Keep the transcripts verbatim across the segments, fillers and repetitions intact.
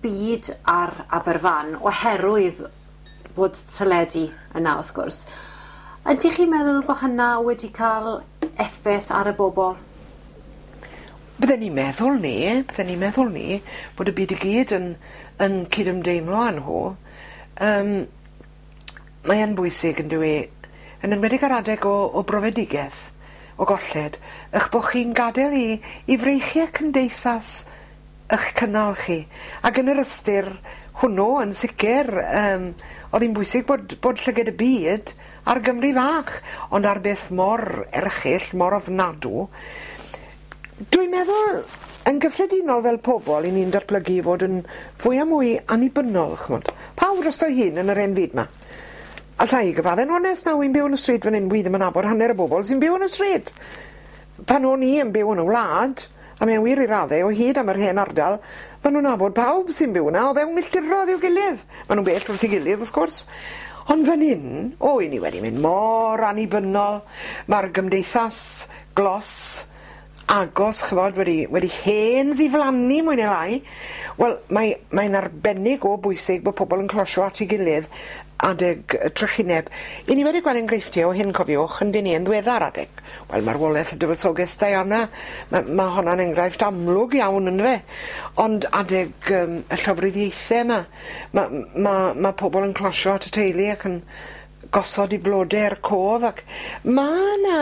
byd ar Aberfan oherwydd bod teledu yna, wrth gwrs. Ydych chi'n meddwl bod hynna wedi cael effaith ar y bobl? Bydden ni'n meddwl 'ny, bydden ni'n meddwl 'ny, bod y byd i gyd yn yn cydymdeimlo â nhw. Yym mae yn bwysig yndyw 'i, yn enwedig ar adeg o o brofedigeth, o golled, 'ych bo' chi'n gad'el i i freichie cymdeithas 'ych cynnal chi. Ag yn yr ystyr hwnnw, yn sicir, yym o'dd 'i'n bwysig bod bod llyged y byd ar Gymru fach, ond ar beth mor erchyll, mor ofnadw. Dwi'n meddwl yn gyffredinol fel pobol 'yn ni'n datblygu i fod yn fwy a mwy annibynnol ch'mod. Pawb drosto'i hun yn yr 'en fyd 'ma. Alla i gyfadde'n onest nawr wi'n byw yn y stryd fan 'yn wi ddim yn nabod hanner y bobol sy'n byw yn y stryd. Pan o'n i yn byw yn y wlad, a mae'n wir i radde o hyd am yr hen ardal, ma' nw'n nabod pawb sy'n byw yna o fewn milltirodd i'w gilydd. Ma' nw'n bell wrth 'i gilydd wrth gwrs. Ond fan 'yn, o 'yn ni wedi mynd mor annibynnol, ma'r gymdeithas glos agos ch'mod wedi wedi hen ddiflannu mwy neu lai. Wel mae mae'n arbennig o bwysig bo' pobol yn closio at 'i gilydd adeg y trychineb. 'Yn ni wedi gweld enghreifftie o hyn cofiwch yndyn ni yn ddiweddar adeg wel marwolaeth y dywysoges Diana ma' ma' honna'n enghraifft amlwg iawn yndyfe? Ond adeg yym y llofruddiaethe 'ma ma' ma' ma' pobol yn closio at y teulu ac yn gosod 'u blode er cof ac ma' 'na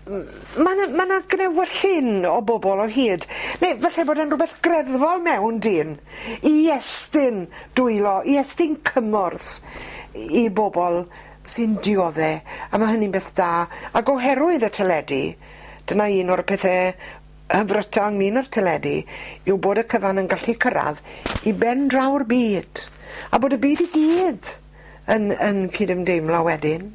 ma' 'na ma' 'na gnewyllyn o bobol o hyd neu falle bod e'n rwbeth greddfol mewn dyn i estyn dwylo i estyn cymorth i bobol sy'n diodde a ma' hynny'n beth da ag oherwydd y teledu dyna un o'r pethe hyfryta ynglŷn â'r teledu yw bod y cyfan yn gallu cyrradd i ben draw'r byd a bod y byd i gyd yn yn cydymdeimlo wedyn.